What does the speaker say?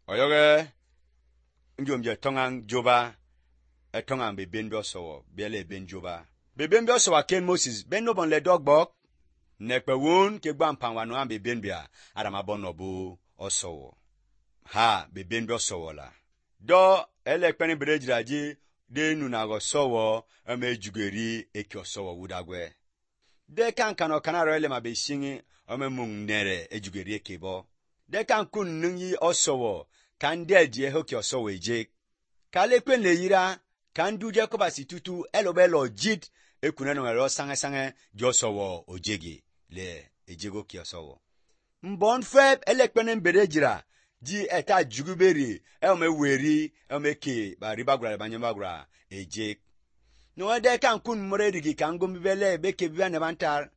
Oyoge njomje tongang joba tongang be ben bioso bele ben joba be ben bioso ken Moses ben no bon le dogbok nekpe won ke gba mpanwa no be ben bia adama bonobu oso ha be ben bioso la do ele kpeni brejiraji de nuna go sowo jugeri ekioso wudagwe de kan kanaro ele ma be shingi mung nere ejugeri ekebo de kan kun nunyi osowo kan de die hoki osowo eje kale kwen le yira kan duje ko basitutu elobelo jid ekuna no ero sange josowo ojegi le ejego ki osowo mbon feb ele kwen berejira ji eta juguberi weri ke ba ribagura banyamagura eje no de kan kun morerigi kan gombele beke biane bantar